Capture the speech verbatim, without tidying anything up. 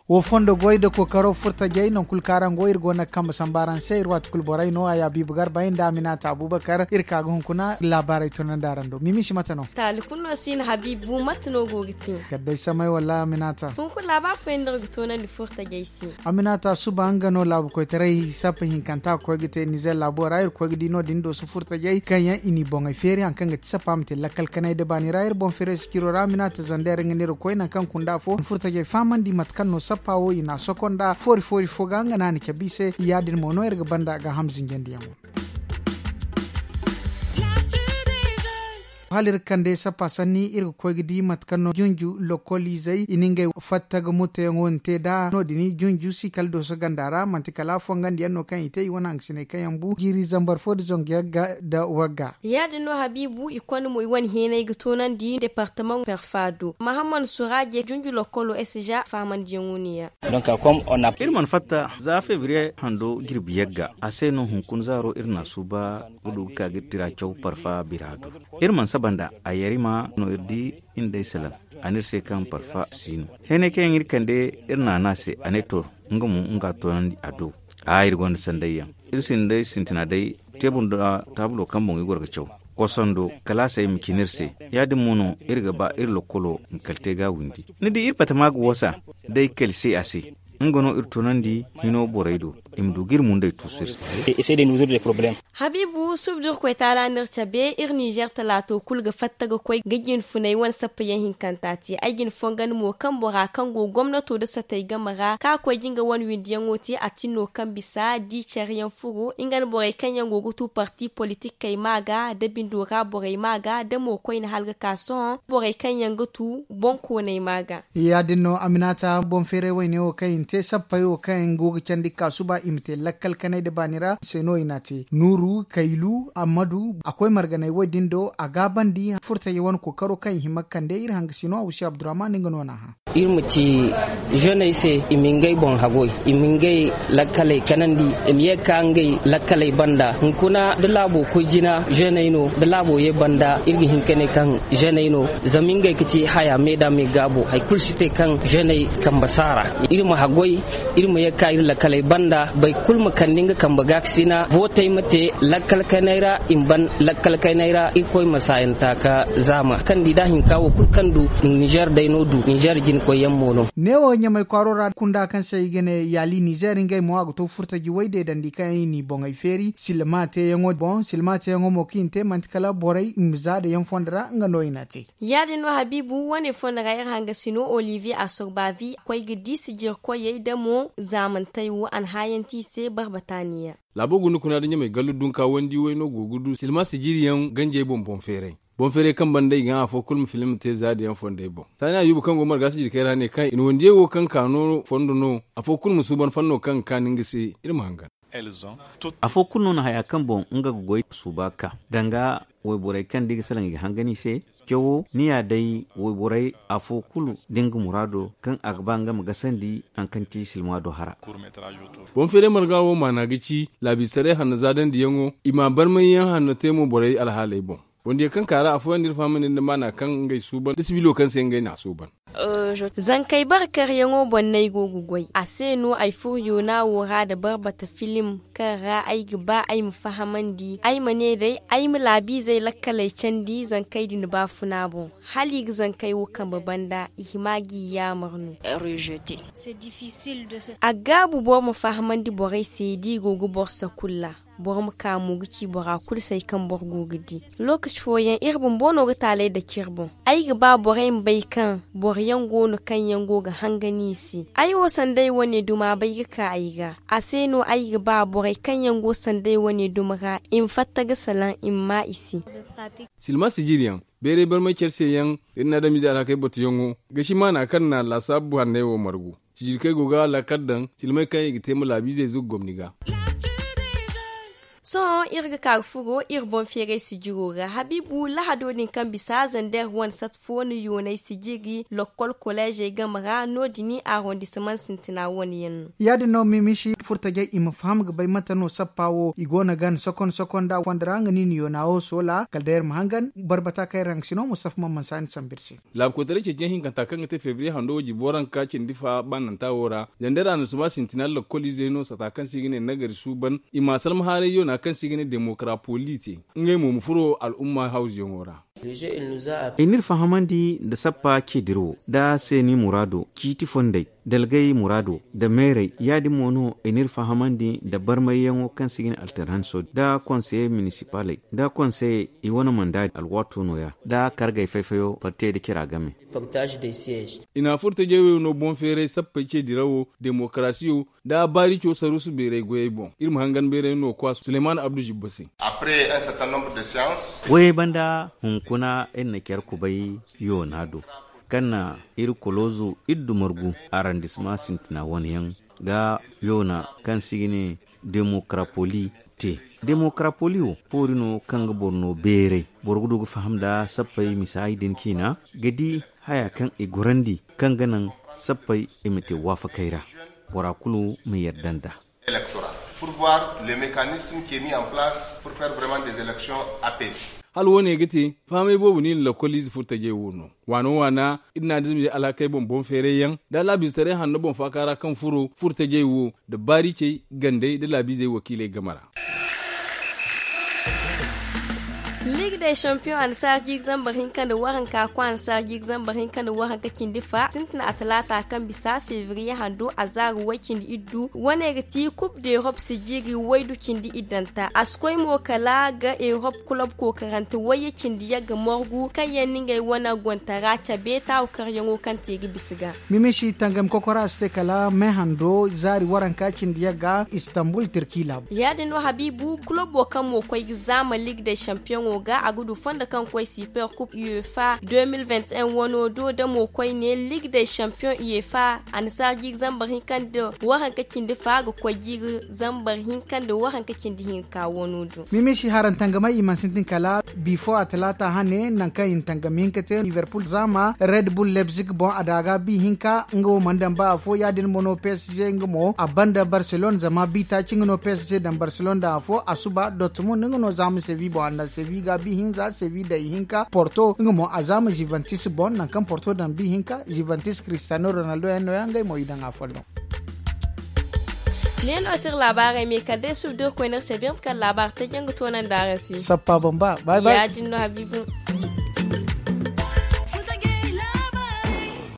Wo fondo goy da kookaro furtajey nangu kulu kaŋ araŋ go iri go no ga kambe samba araŋ se iri waati kulu borey no a ya biibi garba yaŋ nda aminata abubakar iri ka ga hunkuna laabaarey tunandi araŋ do mimisi mate no? Taali kulu no si no habiibu mate no go ga te? Kala day samay wala aminata hunkuna laabaari fooyaŋ no iri ga toonandi furtajey se. Aminata suba nga no laabu koytaray sappa hinkanta ga koy ga te nizer laabo ra iri ga koy ga di no- din dooso furtajey kaŋ yaŋ i n'i boŋey feeri hari kaŋ ga ti sappa ma te lakkal kanay da baani ra iri boŋ feeray sikiro ra aminata zander nga no iri ga koy nangu kaŋ kunda fo furtajey fahamandi mate kaŋ no sappa wo i n'a soko nda foori foori fo ga nga no a na cabe i se ya- din mo no iri ga banda gaaham zinjandiyaŋo. Hala iri ga kande sappa sanni iri ga koy ga di mate kaŋ no junju lokoliizey i na ngey fatta ga mutteyaŋo din te nd'a no- din junju si kala dooso ganda ra manti kala fongandiyaŋ no kaŋ i te i wane hangasiney kaŋ yaŋ bu jiiri zambar fo nda zangu yagga nda wagga. Ya- din no habiibu i konda mo i wane heenay ga toonandi departamaŋ perfa do mahammad suraaje junju lokolo esija fahamandiyaŋo no- ya. Iri mana fatta za febriye hando jirbi yagga a se no hunkuna zaaro iri n'a suuba ga du ga ka ga iri tira caw parfa bira do. Iri mana saba nd'a a yarima no iri di iri nd'ey salaŋ a ne iri se kaŋ parfa si no heenay kaŋ yaŋ iri kande iri n'a ne a se a ne to nga mo nga toonandi a do. Aa iri gonda sandayyaŋ iri sinda day sintina day teebur nda taabulo kaŋ boŋ i goro ga caw kosando kalaasey ma cine iri se. Ya- din mo no iri ga ba iri lokkolo ma kala te ga windi ni di iri batama ga woosa da ay kali se a se nga no iri tunandi hino borey do i ma du ga iri mundey tuusu iri se. Habiibu suba da irkoy taala no iri cabe iri nizer talaato kulu ga fatta ga koy ga jinfunay wane sappayaŋ hinkanta te ay jin fongan mo kaŋ bora kaŋ go gomnato nda satey game ra kaŋ a koy ga nga wane windiyaŋo te a tin no kaŋ bisa di care yaŋ furo nga nda borey kaŋ yaŋ go ga tu parti politikey ma ga nda bindo ra borey ma ga nda mo koyne hala ga ka sohõ borey kaŋ yaŋ ga tu boŋ kooney ma ga. Ya- din no aminata boŋ feeray wayne wo kaŋ i na te sappey wo kaŋ yaŋ go ga candi ga ka suba i ma te lakkal kanay nda baani ra se no i n'a te nuuru kaylu ammadu a koy marganay wo- din do a gaabandi furtajey wane kookaro kaŋ i hima ga kande iri hangasino awusi abdurrahman nga no n'a hã. Iri ma ci zeney se i ma ngey boŋ hagoy i ma ngey lakkaley kanandi i ma ye ga ka ngey lakkaley banda hunkuna da laabo koy jina zeney no da laabo ye banda iri ga hin ka ne kaŋ zeney no. Zama ngey ga ci haya me da me gaabo hari kulu si te kaŋ zeney kambe saara iri ma hagoy iri ma ye ga ka iri lakkaley banda boro kulu ma kande nga kambe gaakasina bootey ma te lakkal kayney ra i ma ban lakkal kayney ra irkoy ma saayanta ka zaama kaŋ di da hinka wo kulu kaŋ du nizer day no du nizer jinkoy yaŋ mo no. Neewo ɲamay kwaaro ra kunda kaŋ se i ga ne yaali nizer ngey mo a ga to furtaji way deedandi kaŋ yaŋ i n'i boŋey feeri silma teeyaŋo boŋ silma teeyaŋo mo kaŋ i na te manti kala borey i ma zaada yaŋ fondo ra nga no i n'a te. Ya- din no habiibu wane fondo ra iri hangasino olivier asorbavi koy ga di sijirkoyey da mo zaamantey wo a na haayanti i se barbataniya. Laabo guna kuna da ɲamay gallu dunka wandi way no go ga du silma sijiriyaŋ ganjey boŋ boŋ feeray boŋ feeray kaŋ banda i ga afo kulu ma filim te zaada yaŋ fondey boŋ saani ayuba kaŋ go marga sijirkey ra ne kaŋ i na wandiyey wo kaŋ ka no fondo no afo kulu ma suuban fanno kaŋ ga kaani nga se iri ma hangan. Afo kulu no na haya kaŋ boŋ nga ga goy suuba ga ka danga wayborey kaŋ da i ga salaŋ i ga hangan i se. Cawo ni ya day wayborey afo kulu da nga muraado kaŋ a ga ba nga ma gasandi hari kaŋ ti silmaado hara. Boŋ feeray marga wo maana ga ci laabisaray hanno zaadandiyaŋo i ma barmayyaŋ hanno te mo borey alhaaley boŋ. Wandiyey kaŋ ka ra afooyaŋ da iri fahamandi nda maana kaŋ ngey suuban da sibilo kaŋ se ngey n'a suuban. Zankey bare karyaŋo boŋ no ay go ga goy a se no ay furo yoona wo ra nda barbata filim kaŋ ra ay ga ba ay ma fahamandi ay ma ne day ay ma laabiizey lakkaley candi zankey din baafuna boŋ hala i ga zankey wo kambe banda i hima g'i yaamar no. A ga gaabu boro ma fahamandi borey se da i go ga boro sakulla boro ma ka mo ga ci bora kulu se hari kaŋ boro go ga di. Lookaci fooyaŋ iri bumbo no ga taalay dake iri boŋ. Ay ga ba borey ma bay kaŋ boro yaŋ go no kaŋ yaŋ go ga hangan i se ay wo sanda ay wane duma bay ga ka ay ga a se no ay ga ba borey kaŋ yaŋ go sanda ay wane duma ra i ma fatta ga salaŋ i ma maa i se. Silma sijiriyaŋ bayray barmay care se yaŋ da iri na adamize alhakey batuyaŋo ga ci maana kaŋ na laasaabu hanney wo margu. Sijirkey go ga laakal daŋ silmey kaŋ i ga te ma laabiizey zugu gomni ga. Sohõ iri ga ka ga furo iri boŋ feeray sijiro ra. Habiibu, lahado din kaŋ bisa zander wane sat fo no yoonay sijiri lokkol koleezey game ra no- din arondisimaŋ sintina wane yaŋ no. Ya- din no mimisi furtajey i ma faham ga bay mate no sappa wo i go no ga ni sokon sokon nda a fondo ra nga no i na yoona wo soola kala day iri ma hangan barbata kaŋ iri haŋ ga si no mustafa man mansa ni sambu iri se. Laabu koytaray ceeciyaŋ hinkanta kaŋ ga te febriye hando wo jibo ranka cindi fa baananta wo ra, zandera na suma sintina lokkol izey no sata kaŋ se i ga ne nagari suuban i ma a salma haaray yoona kaŋ se i ga ne demokarapoli te. Ngey mo ma furo al'umma hawzuyaŋo ra. I n'iri fahamandi nda sappa ce dirawo nda seeni muraado ciiti fondey dalgay muraado nda meerey ya- din mo no i n'iri fahamandi nda barmayyaŋo kaŋ se i ga ne alternanso nda konseye minisipaley nda konseye i wane manda alwaato nooya nda kargey fay-fayo parti nda cira game. I na furtajey wo no boŋ feeray sappey ce dirawo demokarasiyo nda baarico saruusu beeray goyey boŋ. Iri ma hangan beeray no kwa suleyman abdu zibba se. Goyey banda hunkuna iri na care kubay yoona do kaŋ na iri koloozu iri dumargu arandisma sintina wane yaŋ ga yoona kaŋ se i ga ne demokarapoli te. Demokarapoli wo foori no kaŋ ga boro no beeray boro ga du ga faham nda sappey misaay din ciina ga di haya kaŋ i gorandi kaŋ ga naŋ sappey i ma te waafakey ra bora kulu ma yadda nd'a. Pour voir le mécanisme qui est mis en place pour faire vraiment des élections apaisées. Hala wo- ne ga te fahamey boobo no i na lakkoliize furtajey wo no waano waana iri na a dizmije alhakey boŋ boŋ feerayyaŋ nda laabiizetaray hanno boŋ faaka ra kaŋ furo furtajey wo nda baaricey gandey nda laabiizey wakiiley game ra. Liig day champiyoŋ annasaara jiiri zambar hinka nda waranka koy annasaara jiiri zambar hinka nda waranka cindi fa sintina a talaata kaŋ bisa febriye hando a zaari way cindi iddu wane ga ti kub de erop sijiri waydu cindi iddanta a si koy mo kala ga erop kulob kookarante wayye cindi yagga morgu kaŋ yaŋ na ngey wane gontara cabe taawu karyaŋo kaŋ te ga bisa ga. Mimisi tangam kokora a si te kala me hando zaari waranka cindi yagga istanbul tirki laabu. Ya- din no habiibu kulobo kaŋ mo koy ga zaama liig day champiyoŋo ga a ga du fondo kaŋ koy super kub uefa deux mille vingt et un wano do da mo koyne liig day champiyoŋ uefa annasaara jiiri zambar hinka nda waranka cindi fa ga koy jiiri zambar hinka nda waranka cindi hinka wano do. Mimisi harantangamay i mana sintin kala bifo a talaata hane nangu kaŋ i na tangam hinka te liverpool zaama red bull leipzig boŋ a daaga bi hinka nga wo mana daŋ ba afo ya- din mo no psg nga mo a banda barcelona zama bi taaci nga no psg daŋ barcelona daŋ afo a suba dortmund nga no zaama sevi boŋ a na sevi ga bi hinza sevi day hinka porto nga mo a zaama juventus boŋ nangu kaŋ porto daŋ bi hinka juventus cristiano ronaldo yaŋ nooya ngey mo i daŋ a folloŋ. Ne no ti iri laabaarey me kala day suba da iri koy no iri cabe iri ma kala laabaari taji yaŋ ga toonandi araŋ se. Sappa bamba bay bay. Ya- din no habiibu.